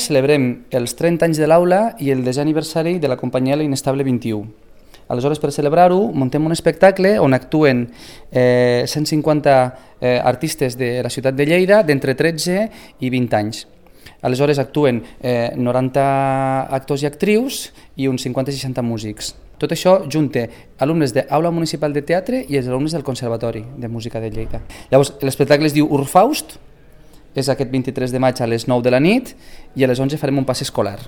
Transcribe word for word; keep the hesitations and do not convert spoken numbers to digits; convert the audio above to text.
celebrem els trenta anys de l'aula i el desè aniversari de la companyia L'Inestable vint-i-u. Aleshores, per celebrar-ho, muntem un espectacle on actuen eh, cent cinquanta eh, artistes de la ciutat de Lleida d'entre tretze i vint anys. Aleshores actuen eh, noranta actors i actrius i uns cinquanta a seixanta músics. Tot això junta alumnes d'Aula Municipal de Teatre i els alumnes del Conservatori de Música de Lleida. Llavors, l'espectacle es diu Urfaust, és aquest vint-i-tres de maig a les nou de la nit i a les onze farem un pas escolar.